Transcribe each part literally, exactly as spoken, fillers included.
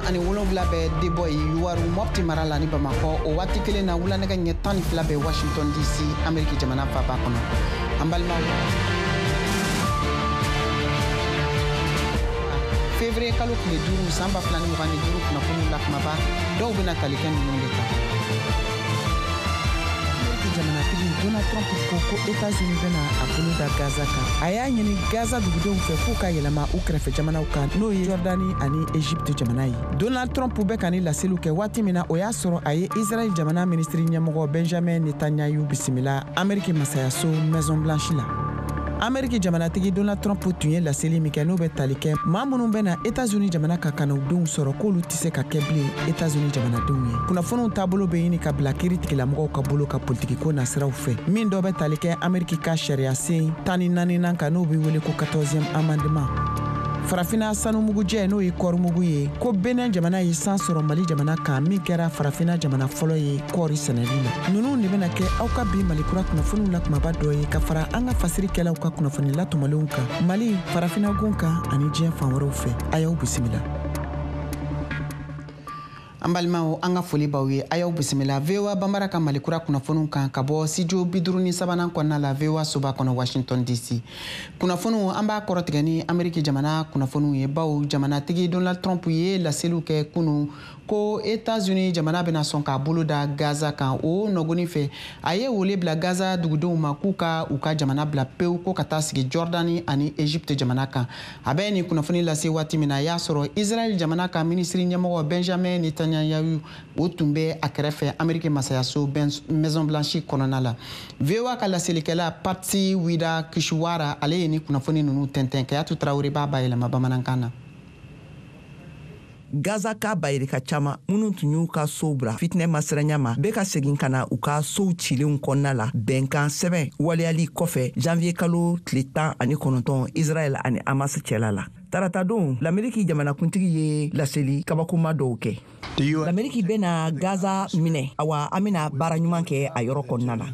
ani wolonwula bɛ Deboyi, Youwarou, Mopti mara la ni Bamakɔ. O waati kelen na, wula nɛgɛ ɲɛ tan ni fila bɛ Washington D C, Ameriki jamana faba kɔnɔ. An balimaw, février kalo tile duuru, san ba fila ni mugan ni duuru, kunnafoniw la kumaba dɔw bɛna tali kɛ ninnu de kan. Ameriki jamanatigi Donald Trump ko ko Etats-Unis bɛna a bolo da Gaza kan. A y'a ɲini Gaza dugudenw fɛ k'u ka yɛlɛma u kɛrɛfɛ jamanaw kan, n'o ye Jɔrdani ani Egypte jamana ye. Donald Trump bɛ ka ni laseliw kɛ waati min na, o y'a sɔrɔ a ye Israɛl jamana minisiri ɲɛmɔgɔ Benjamin Netanyahu bisimila Ameriki masayaso Maison Blanche la. Ameriki jamanatigi Donald Trump tun ye laseli min kɛ, n'o bɛ tali kɛ maa minnu bɛna Etats-Unis jamana ka ka u denw sɔrɔ, k'olu tɛ se ka kɛ bilen Etats-Unis jamanadenw ye. Kunnafoniw taabolo bɛ ɲini ka bila kiiri tigilamɔgɔw ka bolo ka politikiko nasiraw fɛ, min dɔ bɛ tali kɛ Ameriki ka sariya sen tan ni naaninan kan, n'o bɛ wele ko quatorzième amendement. Farafina sanumugujɛ, n'o ye kɔɔrimugu ye, ko Benin jamana ye san sɔrɔ Mali jamana kan, min kɛra Farafina jamana fɔlɔ ye kɔɔri sɛnɛli la. Ninnu de bɛna kɛ aw ka bi Malikura kunnafoniw la kumaba dɔ ye, ka fara an ka fasirikɛlaw ka kunnafoni latɔmɔlenw kan Mali, Farafina gun kan ani diɲɛ fan wɛrɛw fɛ. A y'aw bisimila. An balimaw, an ka foli b'aw ye. A y'aw bisimila V O A Banbara ka Malikura kunnafoniw kan ka bɔ studio bi duuru ni sabanan kɔnɔna la, V O A soba kɔnɔ, Washington D C. Kunnafoniw, an b'a kɔrɔtigɛ ni Ameriki jamana kunnafoniw ye, baw jamanatigi Donald Trump ye laseliw kɛ kunu ko Etats-Unis jamana bɛna sɔn k'a bolo da Gaza kan. O nɔgɔni fɛ, a ye wele bila Gaza dugudenw ma k'u ka u ka jamana bila pewu, ko ka taa sigi Jordani ani Egypte jamana kan. A bɛ nin kunnafoni lase waati min na, a y'a sɔrɔ Israel jamana ka minisiri ɲɛmɔgɔ Benjamin Netanyahu, o tun bɛ a kɛrɛfɛ Ameriki masayaso Maison Blanche kɔnɔna la. V O A ka laselikɛla Patsy Widakuswara, ale ye ni kunnafoni ninnu tɛntɛn. Kayatu Tarawele b'a bayɛlɛma bamanankan na. Gaza ka bayirika caaman minnu tun y'u ka sow bila fitinɛ masiranya ma, bɛ ka segin ka na u ka sow cilenw kɔnɔna la, bɛnkan sɛbɛn waleyali kɔfɛ janvier kalo tile tan ani kɔnɔntɔn Israɛl ani Hamas cɛla la. Taratadon, Lameriki jamanakuntigi ye laseli kabakoma dɔw kɛ. Lameriki bɛna Gaza minɛ, awa an bena baara ɲuman kɛ a yɔrɔ kɔnɔna la.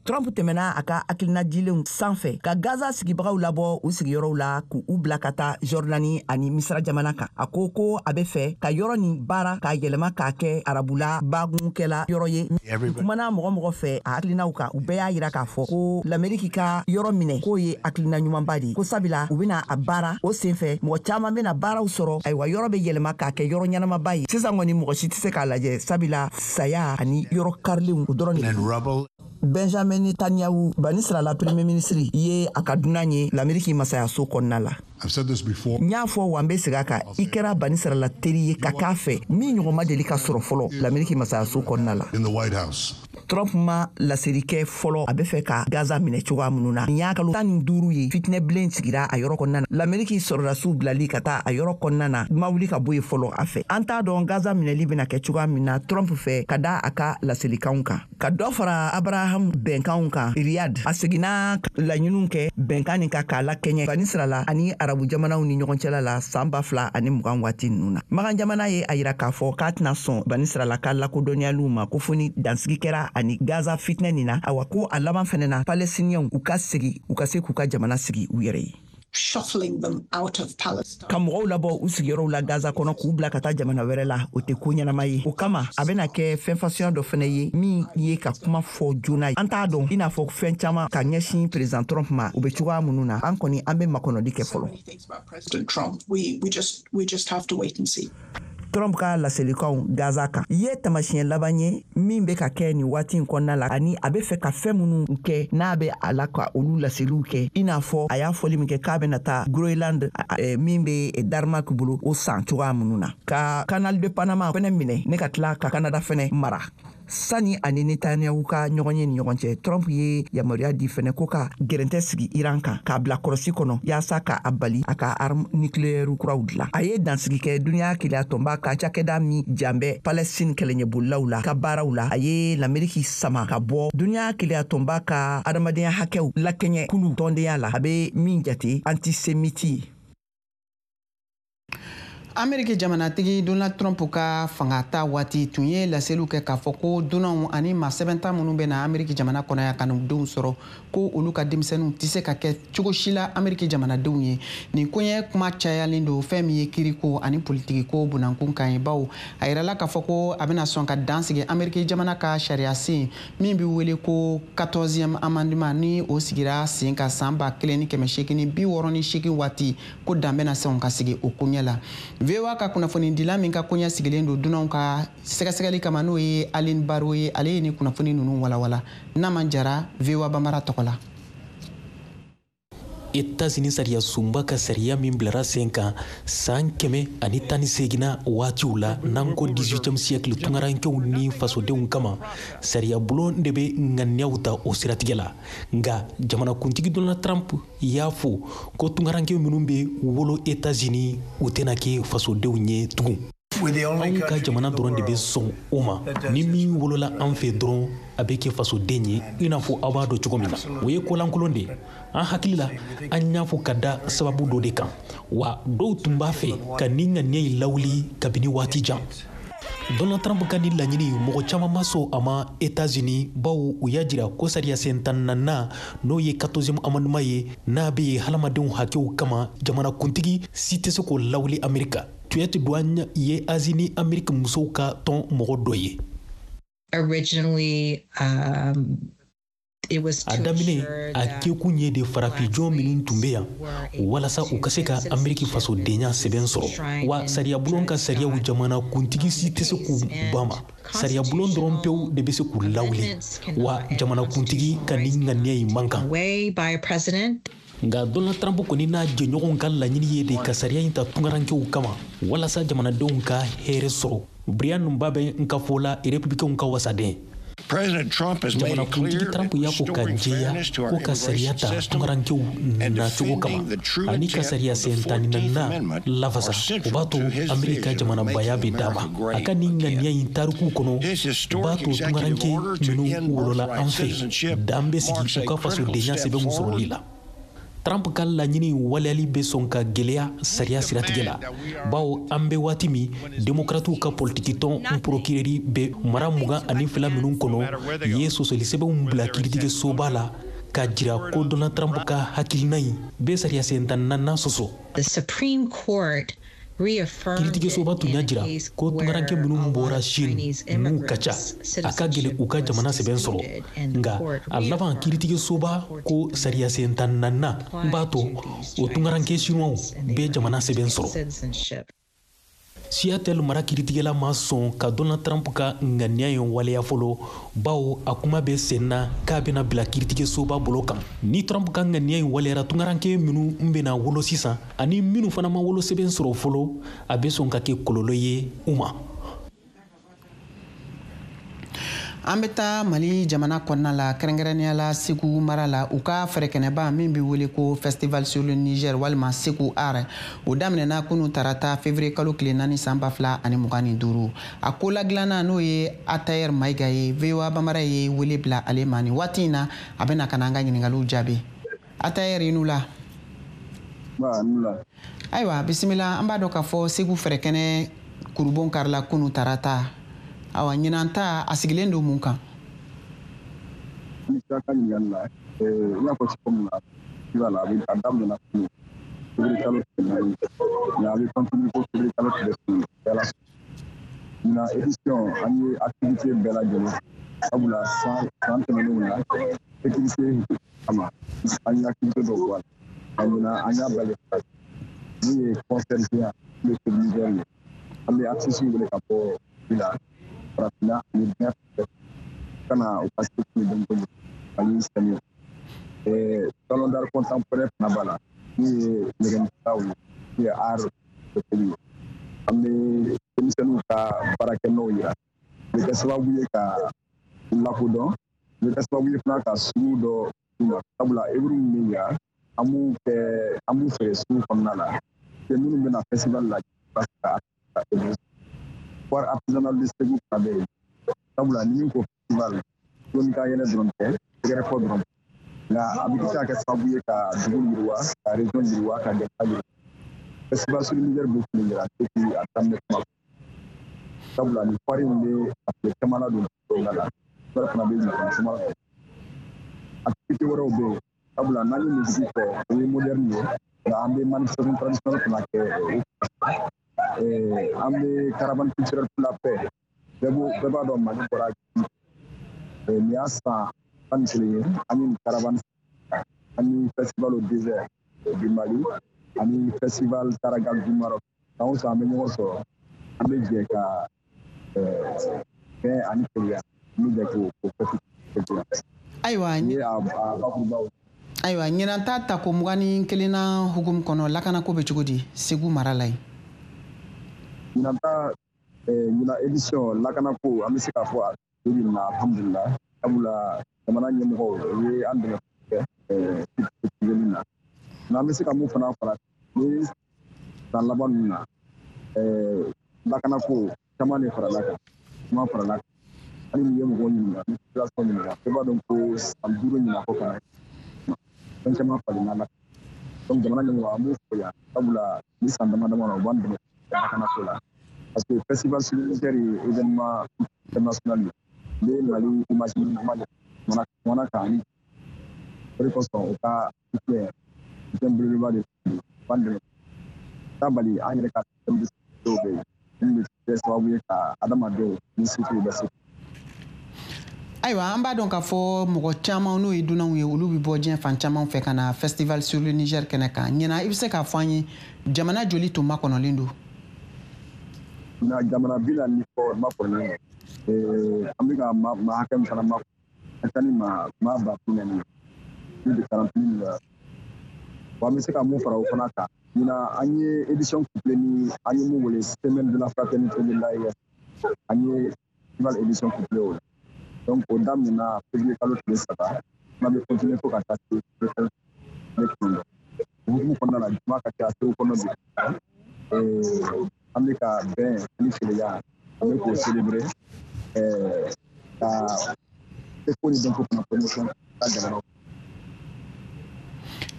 Trump tɛmɛna a ka hakilina dilenw sanfɛ ka Gaza sigibagaw labɔ u sigiyɔrɔw la, k'u bila ka taa Jɔrdani ani Misira jamana kan. A ko ko a be fɛ ka yɔrɔ nin baara k'a yɛlɛma k'a kɛ arabula bagunkɛla yɔrɔ ye. Kumana mɔgɔ mɔgɔ fɛ a hakilinaw kan, u bɛɛ y'a yira k'a fɔ ko Lameriki ka yɔrɔ minɛ k'o ye hakilina ɲumanba de ye, ko sabula u bena a baara o senfɛ, mɔgɔ caaman bena baaraw sɔrɔ. Ayiwa, yɔrɔ be yɛlɛma k'a kɛ yɔrɔ ɲɛnamaba ye. Sisan kɔni, mɔgɔ si tɛ se k'a lajɛ, sabula saya ani yɔrɔ karilenw, o dɔrɔn de. Benjamin Netanyahu, Banisirala premier ministre ye, a ka dunan ye Lameriki masayaso kɔnɔna la. N y'a fɔ wa, n be segin a kan, i kɛra Banisirala teri ye ka k'a fɛ min ɲɔgɔn ma deli ka sɔrɔ fɔlɔ Lameriki masayaso kɔnɔna la. Trump ma laseli kɛ fɔlɔ a be fɛ ka Gaza minɛ cogoya minnu na. Nin y'a kalo tan ni duuru ye fitinɛ bilen sigira a yɔrɔ kɔnɔna na. Lameriki sɔrɔdasiw bilali ka taa a yɔrɔ kɔnɔna na ma wuli ka bɔ yen fɔlɔ a fɛ. An t'a dɔn Gaza minɛli bena kɛ cogoya min na Trump fɛ, ka da a ka laselikanw kan, ka dɔ fara Abraham bɛnkanw kan Riyad. A seginna laɲiniw kɛ bɛnkan nin ka k'a lakɛɲɛ Banisirala ani arabu jamanaw ni ɲɔgɔn cɛla la san ba fila ani mugan waati ninnu na. Magan jamana ye a yira k'a fɔ k'a tɛna sɔn Banisirala ka lakodɔnniyaliw ma, ko fo ni dansigi kɛra ani Gaza fitinɛ nin na. Awa, ko a laban fɛnɛ na, Palestiniyɛnw u ka segi, u ka se k'u ka jamana sigi u yɛrɛ ye. Ka mɔgɔw labɔ u sigiyɔrɔw la Gaza kɔnɔ k'u bila ka taa jamana wɛrɛ la, o tɛ ko ɲɛnama ye. O kama, a bɛna kɛ fɛn fasuya dɔ fɛnɛ ye min ye ka kuma fɔ joona. An t'a dɔn, i n'a fɔ fɛn caman ka ɲɛsin président Trump ma, u bɛ cogoya minnu na, an kɔni an bɛ makɔnɔli kɛ fɔlɔ. Trump ka laselikanw Gaza kan ye tamasiɲɛ laban ye min bɛ ka kɛ nin waati in kɔnɔna la, ani a bɛ fɛ ka fɛn minnu kɛ n'a bɛ a la ka olu laseliw kɛ, i n'a fɔ a y'a fɔli min kɛ k'a bɛna taa Groenland min bɛ Danemark bolo, o san cogoya minnu na, ka Canal de Panama fɛnɛ minɛ ne ka tila ka Canada fɛnɛ mara. Sani ani Netanyahu ka ɲɔgɔn ye ni ɲɔgɔn cɛ, Trump ye yamaruya di fɛnɛ ko ka gɛrɛntɛ sigi Iran kan, k'a bila kɔrɔsi kɔnɔ yaasa ka a bali a ka arme nucléaire kuraw dilan. A ye dansigi kɛ duniɲa keleya tɔnba ka cakɛda min jan bɛ Palestine kɛlɛɲɛbolilaw la ka baaraw la. A ye Lameriki sama ka bɔ duniɲa keleya tɔnba ka adamadenya hakɛw lakɛɲɛ kulu tɔndenya la, a be min jate antisémite ye. Ameriki jamanatigi Donald Trump ka fanga ta waati tun ye laseliw kɛ k'a fɔ ko dunanw ani maa sɛbɛnta minnu bɛ na Ameriki jamana kɔnɔ yan ka n'u denw sɔrɔ, ko olu ka denmisɛnninw tɛ se ka kɛ cogo si la Ameriki jamanadenw ye. Nin koɲɛ kuma cayalen don fɛn min ye kiriko ani politikiko bunankun kan ye, bawo a yirala k'a fɔ ko a bɛna sɔn ka dan sigi Ameriki jamana ka sariyasen min bɛ wele ko quatorzième amendement, ni o sigira sen kan san ba kelen ni kɛmɛ seegin ni bi wɔɔrɔ ni seegin waati, ko dan bɛna sɔn ka sigi o koɲɛ la. V O A ka kunnafonidila min ka koɲɛ sigilen don dunanw ka sɛgɛsɛgɛli kama, n'o ye Aline Baro ye, ale ye ni kunnafoni ninnu walawala. Naman Jara, V O A Bambara tɔgɔ la. États-Unis sariya sunba ka sariya min bilara sen kan san kɛmɛ ani tan ni seeginna waatiw la, n'an ko dix-huitième siècle tungarankew ni fasodenw kama, sariya bulon de bɛ ŋaniyaw ta o siratigɛ la. Nka jamanakuntigi Donald Trump y'a fɔ ko tungaranke minnu bɛ wolo États-Unis, u tɛna kɛ fasodenw ye tugun. Anw ka jamana dɔrɔn de bɛ sɔn o ma. Ni min wolola an fɛ dɔrɔn, a bɛ kɛ fasoden ye, i n'a fɔ aw b'a dɔn cogo min na. O ye kolankolon de ye. An hakili la, an y'a fɔ ka da sababu dɔ de kan, wa dɔw tun b'a fɛ ka nin ŋaniya in lawuli kabini waati jan. Donald Trump ka nin laɲini, mɔgɔ caman ma sɔn a ma États-Unis, bawo u y'a jira ko sariya sen tan naaninan, n'o ye quatorzième amendement ye, n'a bɛ yen hadamadenw hakɛw kama, jamanakuntigi si tɛ se k'o lawuli Amerika. Tuyet Douane ye Asie ni Ameriki musow ka tɔn mɔgɔ dɔ ye. Originally, um, it was A daminɛ, a kɛkun ye de farafin minnu tun bɛ yan walasa u ka se ka Ameriki fasodenya sɛbɛn sɔrɔ. Wa sariyabulon ka sariyaw, jamana kuntigi si tɛ se k'u ban ma. Sariyabulon dɔrɔn pewu de bɛ se k'u lawuli, wa jamanakuntigi ka nin ŋaniya in man kan. Nka Donald Trump kɔni n'a jɛɲɔgɔnw ka laɲini ye de ka sariya in ta tungarankew kama walasa jamanadenw ka hɛrɛ sɔrɔ. Brian Babin n ka fɔ la, Républicainw ka wasaden. Jamanakuntigi Trump y'a fɔ ka jɛya ko ka sariya ta tungarankew nacogo kama ani ka sariya sen tan ni naaninan lafasa, o b'a to Amerika jamanabaya bɛ d'a ma. A ka nin ŋaniya in tarikuw kɔnɔ b'a to tungaranke minnu wolola an fɛ, dan bɛ sigi u ka fasodenya sɛbɛnw sɔrɔli la. Trump ka laɲini waleyali bɛ sɔn ka gɛlɛya sariya siratigɛ la, bawo an bɛ waati min, demokratiw ka politikitɔn procureur bɛ mara mugan ani fila minnu kɔnɔ ye sɔsɔli sɛbɛnw bila kiiritigɛsoba la k'a jira ko Donald Trump ka hakilina in bɛ sariya sen tan naaninan sɔsɔ. Kiiritigɛsoba tun y'a jira ko tungaranke minnu bɔra Chine n'u ka ca, a ka gɛlɛn u ka jamana sɛbɛn sɔrɔ. Nka a laban, kiiritigɛsoba ko sariya sen tan naaninan b'a to o tungaranke chinois bɛ jamana sɛbɛn sɔrɔ. Seattle mara kiiritigɛla ma sɔn ka Donald Trump ka ŋaniya in waleya fɔlɔ, bawo a kuma bɛ sen na k'a bɛna bila kiiritigɛsoba bolo kan. Ni Trump ka ŋaniya in waleyara, tungaranke minnu bɛna wolo sisan ani minnu fana ma wolo sɛbɛn sɔrɔ fɔlɔ, a bɛ sɔn ka kɛ kɔlɔlɔ ye u ma. An bɛ taa Mali jamana kɔnɔna la, kɛrɛnkɛrɛnnenya la Segu mara la, u ka fɛrɛkɛnɛba min bɛ wele ko Festival sur le Niger walima Segu Art, o daminɛna kunun tarata février kalo tile naani san ba fila ani mugan ni duuru. A ko ladilanna, n'o ye Atayer Mayiga ye, V O A Bambara ye wele bila ale ma nin waati in na, a bɛna ka na an ka ɲininkaliw jaabi. Atayer, i n'u la. Ayiwa, bisimila. An b'a dɔn k'a fɔ Segu fɛrɛkɛnɛ kurubon karila kunun tarata. Awa, ɲinan ta a sigilen don mun kan? Ni sera ka ɲininkali la, i y'a fɔ cogo min na, festival a bɛ a daminɛna kunun février kalo tile naani, nka a bɛ continuer fo février kalo tile seegin. Ɲinan édition, an ye activité bɛɛ lajɛlen, sabula san san tɛmɛnenw na sécurité kama an ye activité dɔw bɔ a la, nka ɲinan an y'a bali min ye concert géant min bɛ Niger ye. An bɛ artistes wele ka bɔ la farafinna ani diɲɛ fɛ ka na u ka se ni dɔnko ani sɛnɛ. Salon d'art contemporain fana b'a la, min ye nɛgɛmisɛnninw ye, min ye art ye. An bɛ denmisɛnninw ka baarakɛnɔw yira, o bɛ kɛ sababu ye ka lakodɔn, o bɛ kɛ sababu ye fana ka sugu dɔ d'u ma, sabula œuvre min bɛ yan, an b'u kɛ an b'u feere sugu kɔnɔna la, minnu bɛna festival la ka ka œuvre. Foire artisanale de Segu fana bɛ yen, sabula ni min ko festival, dɔnni ka yɛlɛ dɔrɔn tɛ, tɛgɛrɛ fɔ dɔrɔn tɛ, nka a bɛ se ka kɛ sababu ye ka dugu yiriwa, ka région yiriwa, ka jamana yiriwa. Festival sur le Niger bɛ kun jira depuis a daminɛ kuma. Sabula ni foire in bɛ a tile caman ladon kɔnɔna la, wɛrɛ fana bɛ ɲɔgɔn caman la. Activité wɛrɛw bɛ yen, sabula n'an ye musique fɔ, o ye moderne ye, nka an bɛ manifestation traditionnelle fana kɛ. An bɛ caravane culturelle pour la paix. Bɛɛ b'o bɛɛ b'a dɔn Mali bɔra nin y'a san tan ni kelen ye an ye nin caravane, ani festival au désert du Mali, ani festival Taragal du Maroc. San o san an bɛ ɲɔgɔn sɔrɔ, an bɛ jɛ ka bɛn ani kelenya, an bɛ jɛ k'o fɛti kɛ. Ayiwa, nin ye a bakurubaw. Ayiwa, ɲinan ta tako mugan ni kelenna hukumu kɔnɔ, lakanako bɛ cogo di Segu mara la yen? Ɲinan ta, ɲinan édition, lakanako, an bɛ se k'a fɔ a bi bi in na, alhamdulilah, sabula jamana ɲɛmɔgɔw u ye an dɛmɛ kɛ sécurité na. Nka an bɛ se ka mun fana fara ni san laban ninnu na, lakanako caman de farala kan, caman farala kan. Hali n'i ye mɔgɔw ɲininka, ni population ɲininka, bɛɛ b'a dɔn ko san duuru ɲinan kɔ kan, fɛn caman falenna la. Donc jamana ɲɛmɔgɔ, an b'u fo yan, sabula ni san dama dama na, u b'an dɛmɛ lakanako la. Parce que festival sur le Niger ye événement international ye, n bɛ Mali image ɲuman de jamana kan, ani o de kosɔn u ka soutien soutien belebeleba de u b'an dɛmɛ. T'a bali an yɛrɛ ka système de dɔw bɛ yen min bɛ kɛ sababu ye ka adamadenw ni surtout bɛ se. Ayiwa, an b'a dɔn k'a fɔ mɔgɔ caman, n'o ye dunanw ye, olu bɛ bɔ diɲɛ fan caman fɛ ka na festival sur le Niger kɛnɛ kan. Ɲinan, i bɛ se k'a fɔ an ye jamana joli tun makɔnɔlen don? Ɲinan, jamana bi naani ni kɔ makɔnɔlen don. An bɛ ka maa hakɛ min fana makɔnɔ, a ka ca ni maa maa ba bi naani ye, plus de quarante mille. Wa an bɛ se ka mun fara o fana kan, ɲinan an ye édition couplée ni an ye mun wele semaine de la fraternité de l'A E S, an ye festival édition couplée o la. Donc o daminɛna février kalo tile saba, n'a bɛ continuer fo ka taa se février kalo tile kɔnɔntɔn. O hukumu kɔnɔna la, jama ka ca Segu kɔnɔ bi. An bɛ ka bɛn ani kelenya, an bɛ k'o célébrer, ka seko ni dɔnko fana promotion ka jamana.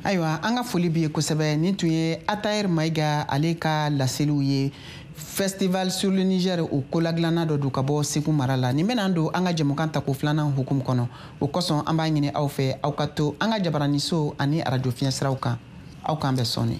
Ayiwa, an ka foli b'i ye kosɛbɛ. Nin tun ye Ataher Mayiga ale ka laseliw ye. Festival sur le Niger, o koladilanna dɔ don ka bɔ Segu mara la. Nin bɛna don an ka jɛmukan tako filanan hukumu kɔnɔ. O kosɔn, an b'a ɲini aw fɛ, aw ka to an ka jabaraniso ani arajo fiɲɛsiraw kan. Aw k'an bɛn sɔɔni.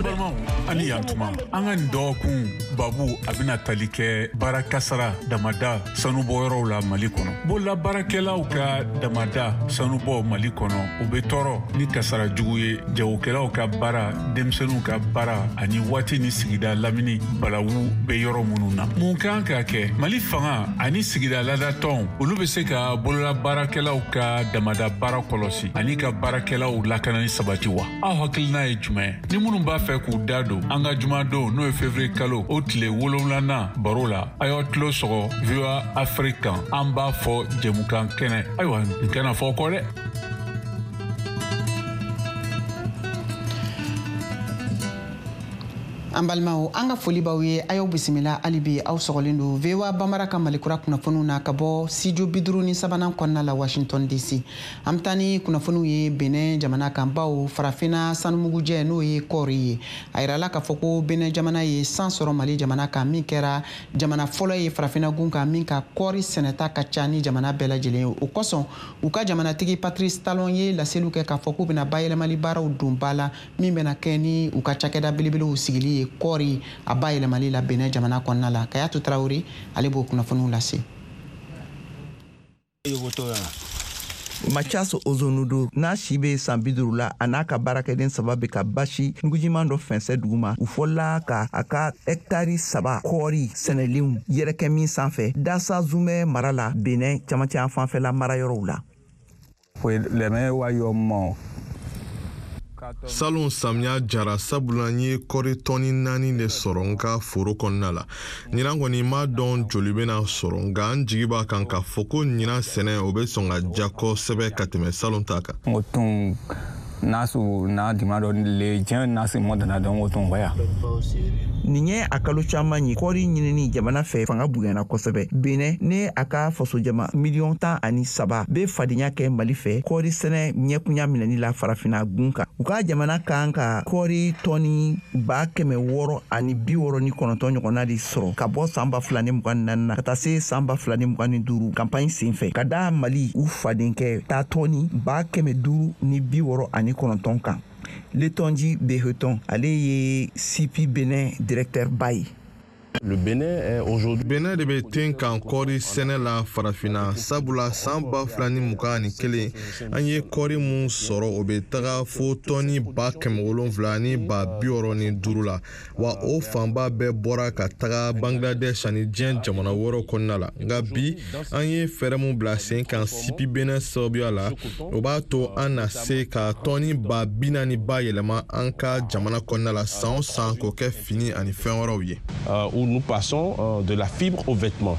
Balimaw, ani yantuma. An ka nin dɔgɔkun babu, a bɛna tali kɛ baara kasara damada sanubɔyɔrɔw la Mali kɔnɔ. Bololabaarakɛlaw ka damada sanubɔ Mali kɔnɔ, u bɛ tɔɔrɔ ni kasara jugu ye, jagokɛlaw ka baara, denmisɛnninw ka baara, ani waati ni sigida lamini balawu bɛ yɔrɔ minnu na. Mun kan ka kɛ? Mali fanga ani sigida ladatɔnw, olu bɛ se ka bololabaarakɛlaw ka damada baara kɔlɔsi ani ka baarakɛlaw lakanani sabati wa? Aw hakilina ye jumɛn? Ni minnu b'a fɛ k'u da don an ka jumadon, n'o ye février kalo o tile wolonwulanan baro la, a y'aw tulo sɔgɔ V O A Afrique kan. An b'a fɔ jɛmukan kɛnɛ. Ayiwa, nin kana fɔ kɔ dɛ. An balimaw, an ka foli b'aw ye. A y'aw bisimila hali bi, aw sɔgɔlen don V O A Bamara ka Malikura kunnafoniw na ka bɔ studio bi duuru ni sabanan kɔnɔna la, Washington D C. An bɛ taa ni kunnafoniw ye Benin jamana kan, bawo farafinna sanumugujɛ, n'o ye kɔɔri ye, a yirala k'a fɔ ko Benin jamana ye san sɔrɔ Mali jamana kan, min kɛra jamana fɔlɔ ye farafinna gun kan min ka kɔɔri sɛnɛta ka ca ni jamana bɛɛ lajɛlen ye. O kosɔn, u ka jamanatigi Patrice Talon ye laseliw kɛ k'a fɔ k'u bɛna bayɛlɛmali baaraw don ba la, min bɛna kɛ ni u ka cakɛda belebelew sigili ye kɔɔri a bayɛlɛmali la Benin jamana kɔnɔna la. Kayatu Tarawele, ale b'o kunnafoniw lase. Mathias Ozonudo n'a si bɛ san bi duuru la, a n'a ka baarakɛden saba bɛ ka basi nugujiman dɔ fɛnsɛ duguma. U fɔlɔla ka a ka hɛkitari saba kɔɔri sɛnɛlenw yɛrɛkɛ min sanfɛ Dasa Zumɛ mara la, Benin camancɛ yan fanfɛla marayɔrɔw la. Salon samiya jara, sabula n ye kɔri tɔni naani de sɔrɔ n ka foro kɔnɔna la. Ɲinan kɔni, m'a dɔn joli bɛna sɔrɔ, nka n jigi b'a kan k'a fɔ ko ɲinan sɛnɛ, o bɛ sɔn ka ja kosɛbɛ ka tɛmɛ salon ta kan. N'a na dima dɔ le diɲɛ na se mɔ dana dɔn o tɔn ya. Nin ye a kalo caman ye kɔɔri ɲinini jamana fɛ fanga bonyana kosɛbɛ. Benin ne a ka fasojama miliyɔn tan ani saba bɛ fadenya kɛ Mali fɛ kɔɔri sɛnɛ ɲɛkunya minɛni la farafinna gun kan. U ka jamana kan ka kɔɔri tɔni ba kɛmɛ wɔɔrɔ ani bi wɔɔrɔ ni kɔnɔntɔn ɲɔgɔnna de sɔrɔ ka bɔ san ba fila ni mugan ni naani na ka taa se san ba fila ni mugan ni duuru kanpaɲi sen fɛ, ka da Mali u fadenkɛ ta tɔni ba kɛmɛ duuru ni bi wɔɔrɔ ani kɔnɔntɔn kan. Letonji Beheton, ale ye C P Benin directeur ba ye. Le Bénin est aujourd'hui Bénin de bɛ ten kan kɔɔri sɛnɛ la farafinna, sabula san ba fila ni mugan ani kelen an ye kɔɔri mun sɔrɔ o bɛ taga fo tɔni ba kɛmɛ wolonfila ni ba bi wɔɔrɔ ni duuru la, wa o fanba bɛɛ bɔra ka taga Bangladesh ani diɲɛ jamana wɛrɛw kɔnɔna la. Nka bi an ye fɛɛrɛ mun bila sen kan C P Bénin sababuya la, o b'a to an na se ka tɔni ba bi naani ba yɛlɛma an ka jamana kɔnɔna la san o san k'o kɛ fini ani fɛn wɛrɛw ye. Où nous passons de la fibre aux vêtements.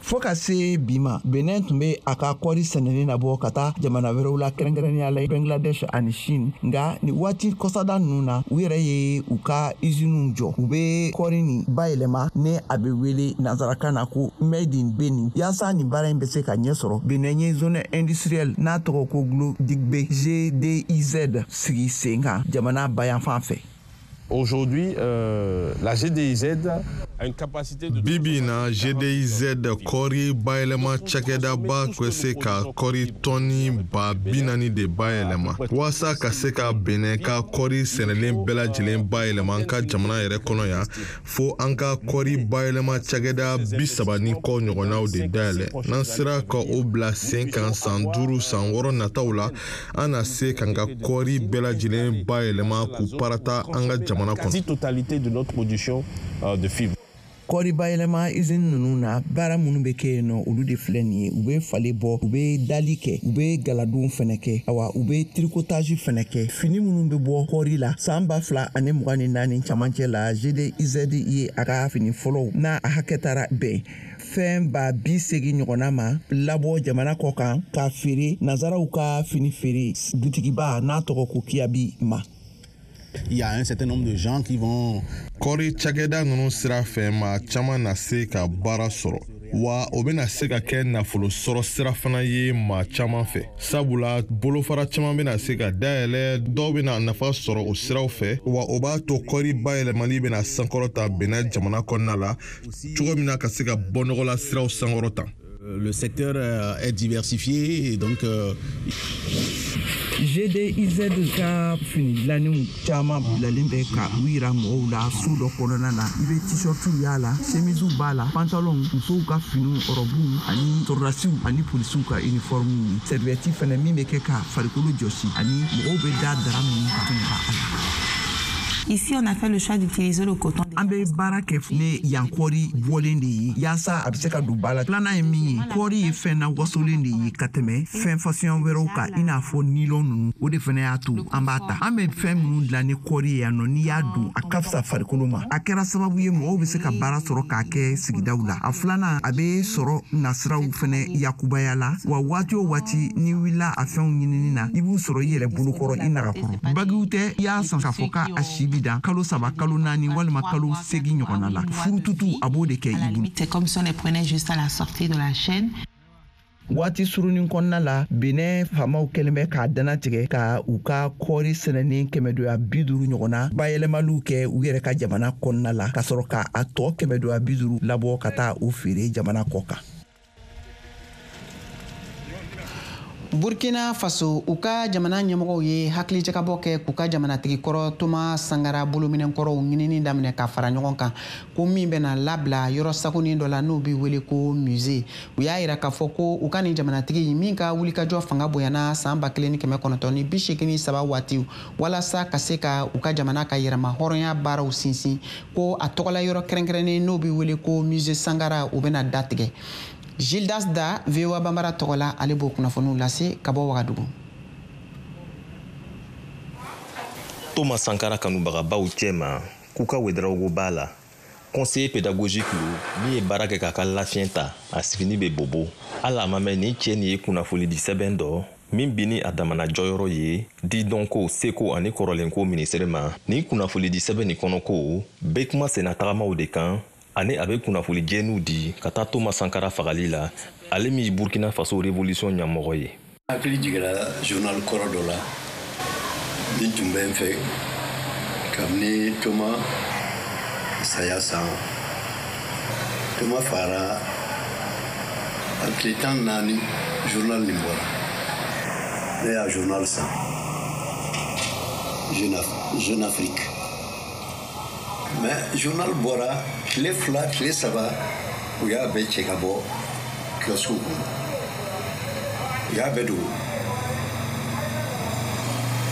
Fo ka se bi ma, Benin tun bɛ a ka kɔɔri sɛnɛni nabɔ ka taa jamana wɛrɛw la, kɛrɛnkɛrɛnnenya la Bangladesh ani Chine. Nka nin waati kɔsada ninnu na, u yɛrɛ ye u ka usiniw jɔ, u bɛ kɔɔri nin bayɛlɛma ni a bɛ wele nansarakan na ko Made in Benin. Yaasa nin baara in bɛ se ka ɲɛ sɔrɔ, Benin ye zone industrielle n'a tɔgɔ ko Glo-Digbe G D I Z sigi sen kan jamana bayanfan fɛ. Aujourd'hui, euh, la G D I Z a une capacité de... Bibi na G D I Z kɔɔri bayɛlɛma cakɛdaba bɛ se ka kɔɔri tɔni ba bi naani de bayɛlɛma walasa ka se ka Benin ka kɔɔri sɛnɛlen bɛɛ lajɛlen bayɛlɛma an ka jamana yɛrɛ kɔnɔ yan, fo an ka kɔɔri bayɛlɛma cakɛda bi saba ni kɔ ɲɔgɔnnaw de dayɛlɛ. N'an sera ka o bila sen kan san duuru san wɔɔrɔ nataw la, an na se k'an ka kɔɔri bɛɛ lajɛlen bayɛlɛma k'u parata an ka jamana quasi-totalité de notre production euh, de fibres. Kɔɔri bayɛlɛma usine ninnu na, baara minnu bɛ kɛ yen nɔ, olu de filɛ nin ye. U bɛ falen bɔ, u bɛ dali kɛ, u bɛ galadon fɛnɛ kɛ, awa u bɛ tricotage fɛnɛ kɛ. Fini minnu bɛ bɔ kɔɔri la san ba fila ani mugan ni naani camancɛ la, G D I Z ye a ka fini fɔlɔw n'a a hakɛ taara bɛn fɛn ba bi seegin ɲɔgɔnna ma labɔ jamana kɔ kan k'a feere nanzaraw ka fini feere butigiba n'a tɔgɔ ko Kiabi ma. Il y a un certain nombre de gens qui vont... Kɔɔri cakɛda ninnu sira fɛ, maa caman na se ka baara sɔrɔ, wa o bɛna se ka kɛ nafolo sɔrɔ sira fana ye maa caman fɛ, sabula bolofara caman bɛna se ka dayɛlɛ, dɔw bɛna nafa sɔrɔ o siraw fɛ, wa o b'a to kɔɔri bayɛlɛmali bɛna sankɔrɔta Benin jamana kɔnɔna la cogo min na ka se ka bɔ nɔgɔla siraw sankɔrɔta. Le secteur est diversifié et donc... Euh... G D I Z ka fini dilannenw caman bilalen bɛ ka u yira mɔgɔw la so dɔ kɔnɔna na. I bɛ t-shirtiw y'a la, chemisew b'a la, pantalonw, musow ka finiw, rɔbuw ani sɔrɔdasiw ani polisiw ka uniforme, serviette fɛnɛ min bɛ kɛ ka farikolo jɔsi ani mɔgɔw bɛ da dara minnu kan fɛnɛ b'a la. Ici, on a fait le choix d'utiliser le coton. An bɛ baara kɛ ne yan kɔɔri bɔlen de ye yaasa a bɛ se ka don ba la. Filanan ye min ye, kɔɔri ye fɛn na wasolen de ye ka tɛmɛ fɛn fasɔn wɛrɛw kan, i n'a fɔ nylon ninnu. O de fana y'a to an b'a ta. An bɛ fɛn minnu dilan ni kɔɔri ye yan nɔ, n'i y'a don a ka fisa farikolo ma. A kɛra sababu ye mɔgɔw bɛ se ka baara sɔrɔ k'a kɛ sigidaw la. A filanan, a bɛ sɔrɔ nasiraw fana yakubaya la, wa waati o waati n'i wulila a fɛnw ɲinini na, i b'u sɔrɔ i yɛrɛ bolokɔrɔ i nagakɔrɔ. Bagiw tɛ, i y'a san k'a fɔ k'a si bi dan kalo saba, kalo naani walima kalo segin ɲɔgɔnna la. Furututu a b'o de kɛ i bolo. C'est comme si on les prenait juste à la sortie de la chaîne. Waati surunin kɔnɔna la, Benin faamaw kɛlen bɛ k'a dannatigɛ ka u ka kɔɔri sɛnɛnen kɛmɛdoya bi duuru ɲɔgɔnna bayɛlɛmaliw kɛ u yɛrɛ ka jamana kɔnɔna la, ka sɔrɔ k'a tɔ kɛmɛdoya bi duuru labɔ ka taa u feere jamana kɔ kan. Burkina Faso, u ka jamana ɲɛmɔgɔw ye hakilijakabɔ kɛ k'u ka jamanatigi kɔrɔ Thomas Sankara bolominɛnkɔrɔw ɲinini daminɛ ka fara ɲɔgɔn kan, ko min bɛna labila yɔrɔ sagonin dɔ la n'o bɛ wele ko musée. U y'a yira k'a fɔ ko u ka nin jamanatigi min ka wulikajɔ fanga bonyana san ba kelen ni kɛmɛ kɔnɔntɔn ni bi seegin ni saba waatiw walasa ka se ka u ka jamana ka yɛrɛma hɔrɔnya baaraw sinsin, ko a tɔgɔla yɔrɔ kɛrɛnkɛrɛnnen n'o bɛ wele ko musée Sankara, o bɛna datigɛ. Gildas Da, V O A Bambara tɔgɔ la, ale b'o kunnafoniw lase ka bɔ Wagadugu. Thomas Sankara kanubagabaw cɛma, Kuka Ouedraogo b'a la, conseiller pédagogique lo min ye baara kɛ k'a ka lafiɲɛ ta, a sigini bɛ bobo. Hali a ma mɛn, nin cɛ nin ye kunnafonidi sɛbɛn dɔ Min bi ni a damana jɔyɔrɔ ye di dɔnko, seko ani kɔrɔlenko minisiri ma. Nin kunnafonidi sɛbɛn nin kɔnɔ ko bɛ kuma senna tagamaw de kan, ani a bɛ kunnafoni jɛniw di ka taa Toma Sankara fagali la, ale min ye Burkina Faso révolution ɲɛmɔgɔ ye. Hakili jiginna journal kɔrɔ dɔ la min tun bɛ n fɛ kabini Toma saya san. Toma fagara a tile tan naani, journal nin bɔra. Ne y'a journal san, Jeune Afrique, mais journal bɔra tile fila, tile saba, u y'a bɛɛ cɛ ka bɔ kiosque kɔnɔ, u y'a bɛɛ dogo.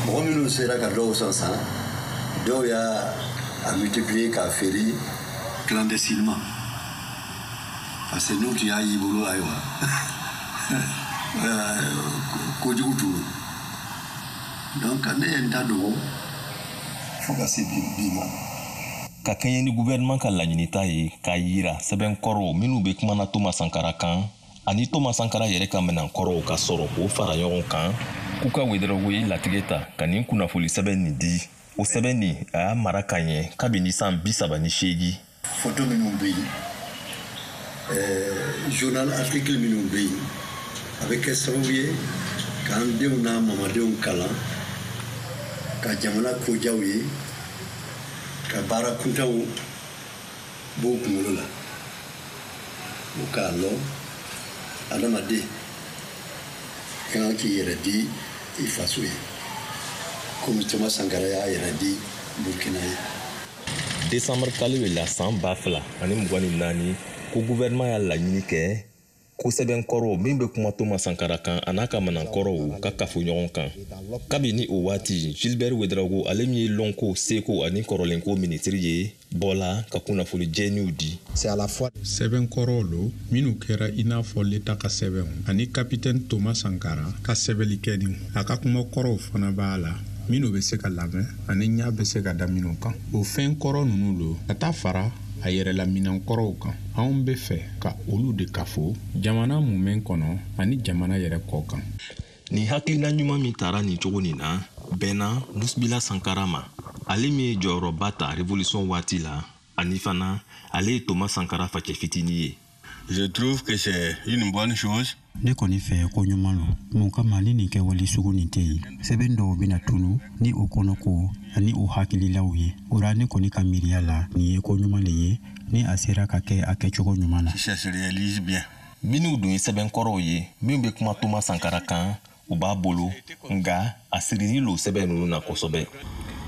Mɔgɔ minnu sera ka dɔw san san, dɔw y'a a multiplier k'a feere clandestinement, parce que n'u tun y'a y'i bolo, ayiwa, kojugu tun don. Donc ne ye n ta dogo fo ka se bi bi ma. Ka kɛɲɛ ni gouvernement ka laɲinita ye k'a yira sɛbɛn kɔrɔw minnu bɛ kumana Toma Sankara kan ani Toma Sankara yɛrɛ ka minɛn kɔrɔw ka sɔrɔ k'o fara ɲɔgɔn kan, k'u ka Wedarawogo ye latigɛ ta ka nin kunnafoli sɛbɛn nin di. O sɛbɛn nin, a y'a mara ka ɲɛ kabini san bi saba ni seegin. Photo minnu bɛ yen, journal article minnu bɛ yen, a bɛ kɛ sababu ye k'an denw n'an mamadenw kalan ka jamana kojaw ye, ka baara kuntanw b'o kunkolo la, o k'a lɔn adamaden ka kan k'i yɛrɛ di i faso ye, komi Toma Sankara y'a yɛrɛ di Burkina ye. Desanburu kalo la san ba fila ani mugan ni naani, ko gouvernement y'a laɲini kɛ ko sɛbɛn kɔrɔw min bɛ kuma Toma Sankara kan a n'a ka kɔrɔw ka kafo ɲɔgɔn kan. Kabini o waati, Gilbert Wedarawogo, ale min ye lɔnko, seko ani kɔrɔlenko minisiri ye, bɔla ka kunnafoni jɛniw di. Sɛbɛn kɔrɔw lo minnu kɛra i n'a fɔ leta ka sɛbɛnw ani Kapitɛni Toma Sankara ka sɛbɛnnikɛniw. A ka kuma kɔrɔw fana b'a la minnu bɛ se ka lamɛn ani ɲa bɛ se ka da minnu kan. O fɛn kɔrɔ ninnu lo ka taa fara a yɛrɛla minɛn kɔrɔw kan, anw bɛ fɛ ka olu de kafo jamana mumɛn kɔnɔ ani jamana yɛrɛ kɔ kan. Nin hakilina ɲuman min tara nin cogo nin na bɛnna Musibila Sankara ma, ale min ye jɔyɔrɔba ta révolution waati la, ani fana ale ye Toma Sankara facɛ fitinin ye. Je trouve que c'est une bonne chose. Ne kɔni fɛ, ko ɲuman lo. Mun kama ni nin kɛwale sugu nin tɛ yen, sɛbɛn dɔw bɛna tunu ni o kɔnɔko ani o hakililaw ye. O ra, ne kɔni ka miiriya la, nin ye ko ɲuman le ye ni a sera ka kɛ a kɛcogo ɲuman na. Si ça se réalise bien. Minnu dun ye sɛbɛn kɔrɔw ye min bɛ kuma Toma Sankara kan, u b'a bolo, nga a sirili lo sɛbɛn ninnu na kosɛbɛ.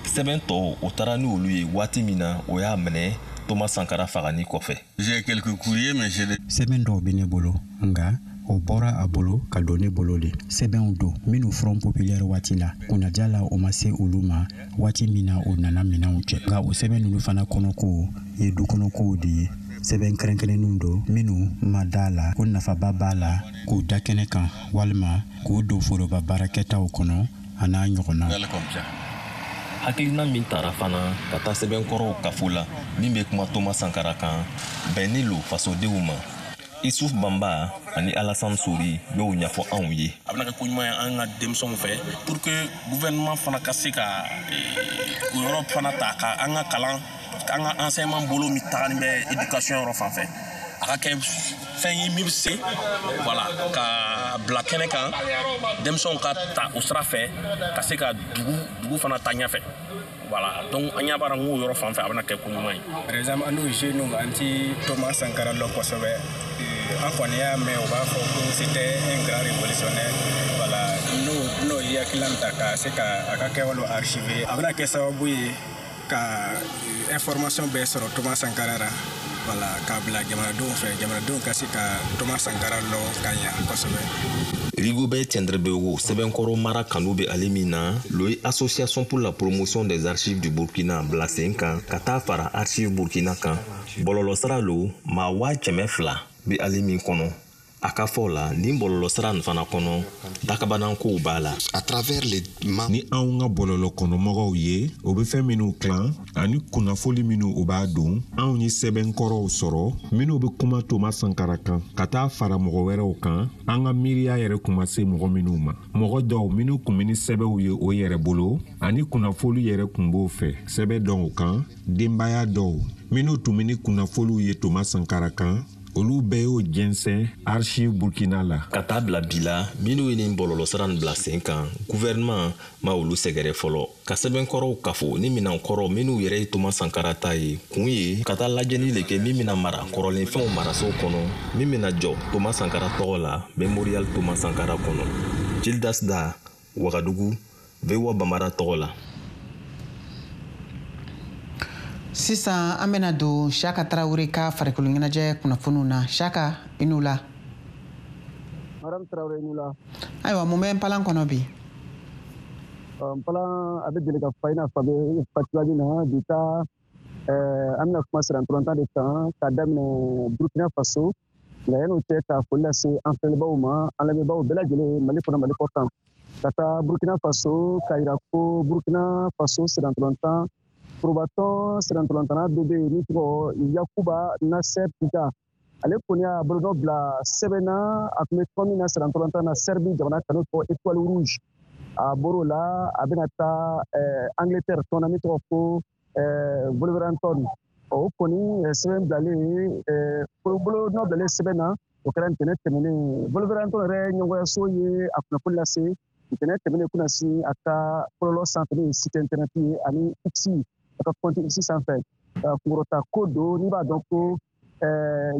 Sɛbɛn tɔw, o taara ni olu ye waati min na o y'a minɛ Toma Sankara fagani kɔfɛ. J'ai quelques courriers, mais j'ai des Sɛbɛn dɔw bɛ ne bolo, nga o bɔra a bolo ka don ne bolo de. Sɛbɛnw don minnu Front populaire waati la, kunnaja la, o ma se olu ma waati min na o nana minɛnw cɛ. Nka o sɛbɛn ninnu fana kɔnɔko ye dukɔnɔkow de ye. Sɛbɛn kɛrɛnkɛrɛnnenw don minnu ma da la ko nafaba b'a la k'u da kɛnɛ kan walima k'u don foroba baarakɛtaw kɔnɔ, a n'a ɲɔgɔnna. Comme ça. Hakilina min tara fana ka taa sɛbɛnkɔrɔw kafo la min bɛ kuma Toma Sankara kan, bɛnni lo fasodenw ma. Isuf Banba ani Alasan Sori y'o ɲɛfɔ anw ye. A bɛna kɛ ko ɲuman ye an ka denmisɛnw fɛ, pour que gouvernement fana ka se ka o yɔrɔ fana ta ka an ka kalan, an ka enseignement bolo min tagalen bɛ éducation yɔrɔ fan fɛ, a ka kɛ fɛn ye min bɛ se, voilà, ka bila kɛnɛ kan, denmisɛnw ka ta o sira fɛ ka se ka dugu dugu fana ta ɲɛfɛ. Voilà, donc an ɲɛ b'a la n k'o yɔrɔ fan fɛ, a bɛna kɛ ko ɲuman ye. Par exemple, an n'o jeunes, an ti Thomas Sankara lɔn kosɛbɛ. An kɔni y'a mɛn u b'a fɔ ko c'était un grand révolutionnaire. Voilà, n'o n'o ye hakilina ta ka se ka a ka kɛwalew archiver, a bɛna kɛ sababu ye ka information bɛɛ sɔrɔ Thomas Sankara la, voilà, k'a bila jamanadenw fɛ, jamanadenw ka se ka Thomas Sankara lɔn ka ɲa kosɛbɛ. Rigobert Tiendrebeogo, sɛbɛnkɔrɔ mara kanu bɛ ale min na, lo ye Association pour la promotion des archives du Burkina bila sen kan ka taa fara Archive Burkina kan. Bɔlɔlɔsira lo, maa waa kɛmɛ fila bɛ ale min kɔnɔ. A ka fɔ la nin bɔlɔlɔsira nin fana kɔnɔ dakabanankow b'a la. À travers les ni anw ka bɔlɔlɔ kɔnɔmɔgɔw ye o bɛ fɛn minnu tilan ani kunnafoli minnu o b'a don anw ye sɛbɛnkɔrɔw sɔrɔ minnu bɛ kuma Thomas Sankara kan ka taa fara mɔgɔ wɛrɛw kan an ka miiriya yɛrɛ kun ma se mɔgɔ minnu ma mɔgɔ dɔw minnu kun bɛ ni sɛbɛnw ye o yɛrɛ bolo ani kunnafoli yɛrɛ kun b'o fɛ sɛbɛn dɔw kan denbaya dɔw minnu tun bɛ ni kunnafoliw ye Thomas Sankara kan olu bɛɛ y'o jɛnsɛn archive Burkina la. Ka taa bila bi la minnu ye nin bɔlɔlɔsira nin bila sen kan gouvernement ma olu sɛgɛrɛ fɔlɔ ka sɛbɛnkɔrɔw kafo ni minɛnkɔrɔ minnu yɛrɛ ye Thomas Sankara ta ye kun ye ka taa lajɛli le kɛ min bɛna mara kɔrɔlenfɛnw maraso kɔnɔ min bɛna jɔ Thomas Sankara tɔgɔ la Mémorial Thomas Sankara kɔnɔ. Gildas Da, Wagadugu, V O A Bambara tɔgɔ la. Sisan an bɛna don Siaka Tarawele ka farikolo ɲɛnajɛ kunnafoniw na. Siaka, i n'u la. Madame Tarawele, i n'u la. Ayiwa, mun bɛ npalan kɔnɔ bi? Npalan a bɛ deli ka fa i n'a fɔ a bɛ fa cogoya min na bi ta an bɛna kuma sirantɔlɔntan de kan k'a daminɛ Burkina Faso nka yan'o cɛ ka foli lase an filɛbagaw ma an lamɛnbagaw bɛɛ lajɛlen Mali kɔnɔ Mali kɔ kan ka taa Burkina Faso k'a yira ko Burkina Faso sirantɔlɔntan forobatɔn sirantɔlɔntanna dɔ bɛ yen min tɔgɔ Yakuba Nasser Djiga ale kɔni y'a bolonɔ bila sɛbɛn na a tun bɛ tɔn min na sirantɔlɔntan na Serbie jamana kan n'o tɔgɔ Étoile Rouge a bɔr'o la a bɛna taa Angleterre tɔn na min tɔgɔ ko Wolverhampton o kɔni sɛbɛn bilalen bolonɔ bilalen sɛbɛn na o kɛra ntɛnɛn tɛmɛnen Wolverhampton yɛrɛ ɲɛmɔgɔyaso ye a kunnafoni lase ntɛnɛn tɛmɛnen kunasini a ka bɔlɔlɔ sanfɛ n'o ye site internet ye ani X a ka compte X sanfɛ kunkɔrɔta ko don n'i b'a dɔn ko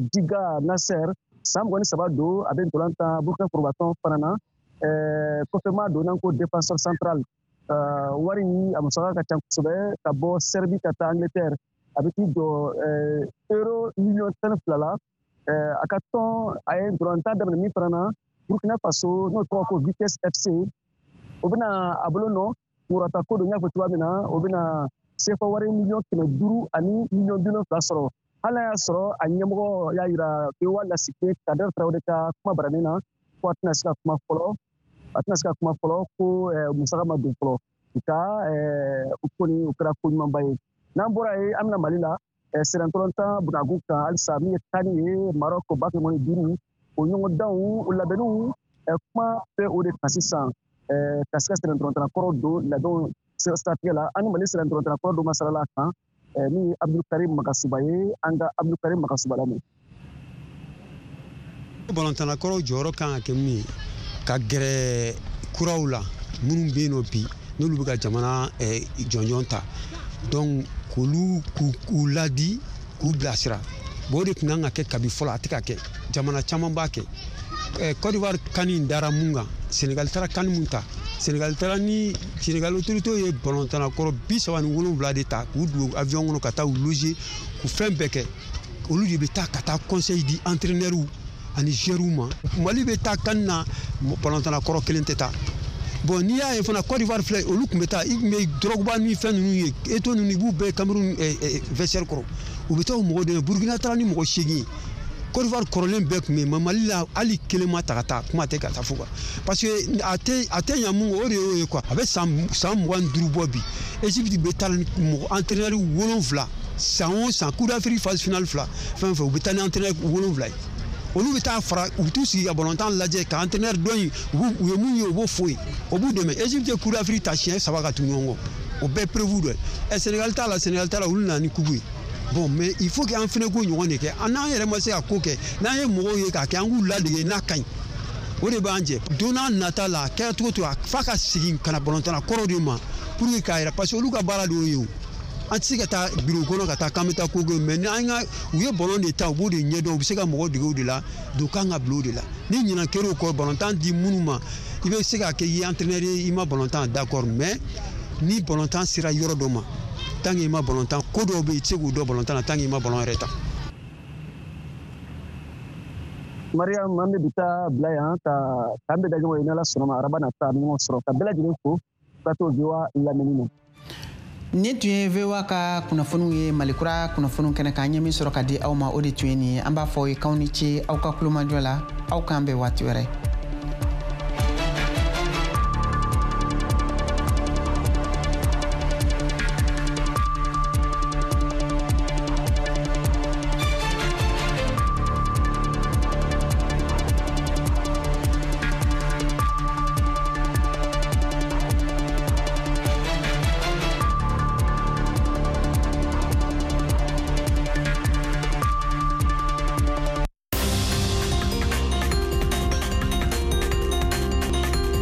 Djiga Nasser san mugan ni saba don a bɛ ntolan tan Burkina forobatɔn fana na kɔfɛma don n'an ko défenseur central wari a musaka ka ca kosɛbɛ ka bɔ Serbie ka taa Angleterre a bɛ t'i jɔ euro miliyɔn tan ni fila la a ka tɔn a ye ntolan tan daminɛ min fana na Burkina Faso n'o tɔgɔ ko Vitesse F C o bɛna a bolo nɔ kunkɔrɔta ko don n y'a fɔ cogoya min na o bɛna C F A wari miliyɔn kɛmɛ duuru ani miliyɔn bi wolonfila sɔrɔ hali n'a y'a sɔrɔ a ɲɛmɔgɔ y'a yira V O A lasigiden Kader Tarawele ka kuma baranin na ko a tɛna se ka kuma fɔlɔ a tɛna se ka kuma fɔlɔ ko musaka ma don fɔlɔ nka o kɔni o kɛra ko ɲumanba ye n'an bɔra yen an bɛna Mali la sirantɔlɔntan bunagun kan halisa min ye tani ye Maroc ba kɛmɛ ni duuru o ɲɔgɔndanw o labɛnniw kuma bɛ o de kan sisan ka se ka sirantɔlɔntan kɔrɔ don labɛnw siratigɛ la an ni Mali sirantɔlɔntan kɔrɔ dɔ masalala kan min ye Abdulkarim Magasuba ye an ka Abdulkarim Magasuba lamɛn. Balontanna kɔrɔw jɔyɔrɔ kan ka kɛ min ye ka gɛrɛ kuraw la minnu bɛ yen nɔ bi n'olu bɛ ka jamana jɔnjɔn ta donc k'olu k'u ladi k'u bilasira bon o de tun kan ka kɛ kabi fɔlɔ a tɛ ka kɛ jamana caman b'a kɛ Côte d'Ivoire kani in dara mun kan Sénégal taara kani mun ta Sénégal taara ni Sénégal autorité ye balontanna kɔrɔ bi saba ni wolonwula de ta k'u don avion kɔnɔ ka taa u loger k'u fɛn bɛɛ kɛ olu de bɛ taa ka taa conseil di entraîneur ani joueurs ma Mali bɛ taa kani na balontanna kɔrɔ kelen tɛ taa bon n'i y'a ye fana Côte d'Ivoire filɛ olu tun bɛ taa i tun bɛ Drogba ni fɛn ninnu ye Eto'o ninnu i b'u bɛɛ Cameroun vestiaire kɔrɔ u bɛ taa o mɔgɔw dɛmɛ Burkina taara ni mɔgɔ seegin ye Côte d'Ivoire kɔrɔlen bɛɛ tun bɛ yen mais Mali la hali kelen ma ta ka taa kuma tɛ ka taa fo quoi parce que a tɛ a tɛ ɲa mun kɔ o de y'o ye quoi a bɛ san san mugan ni duuru bɔ bi Égypte bɛ taa ni mɔgɔ entraîneur wolonwula san o san Coupe d'Afrique phase finale fila fɛn fɛn u bɛ taa ni entraîneur wolonwula ye olu bɛ taa fara u bɛ t'u sigi ka balontan lajɛ ka entraîneur dɔ in u ye mun ye u b'o fɔ ye o b'u dɛmɛ Égypte ye Coupe d'Afrique ta siɲɛ saba ka tugu ɲɔgɔn kɔ o bɛɛ prévu dɔ ye ɛ Sénégal t'a la Sénégal t'a la olu nana ni coupe ye bon mais il faut que an fana k'o ɲɔgɔn de kɛ an n'an yɛrɛ ma se ka ko kɛ n'an ye mɔgɔw ye k'a kɛ an k'u ladege n'a ka ɲi o de b'an jɛ don n'a nata la a kɛra cogo o cogo f'a ka segin ka na balontanna kɔrɔw de ma pour que k'a yira parce que olu ka baara de y'o ye o an tɛ se ka taa biro kɔnɔ ka taa k'an bɛ taa ko kɛ mais n'an ka u ye balon de ta u b'o de ɲɛdɔn u bɛ se ka mɔgɔw dege o de la donc kan ka bila o de la ni ɲinan kɛra o kɔ balontan di minnu ma i bɛ se k'a kɛ i ye entraîneur ye i ma balontan d'accord mais ni balontan sera yɔrɔ dɔ ma tant que i ma balontan ko dɔw bɛ yen i tɛ se k'u dɔn balontan na tant que i ma balon yɛrɛ ta. Mariam an bɛ bi taa bila yan ka k'an bɛ da ɲɔgɔn ye n'Ala sɔnna ma araba nata an bɛ ɲɔgɔn sɔrɔ ka bɛɛ lajɛlen fo plateau V O A lamɛnni na. Nin tun ye V O A ka kunnafoniw ye, Malikura kunnafoniw kɛnɛ kan. An ye min sɔrɔ ka di aw ma, o de tun ye nin ye. An b'a fɔ aw ye k'aw ni ce aw ka kulomajɔ la. Aw k'an bɛn waati wɛrɛ.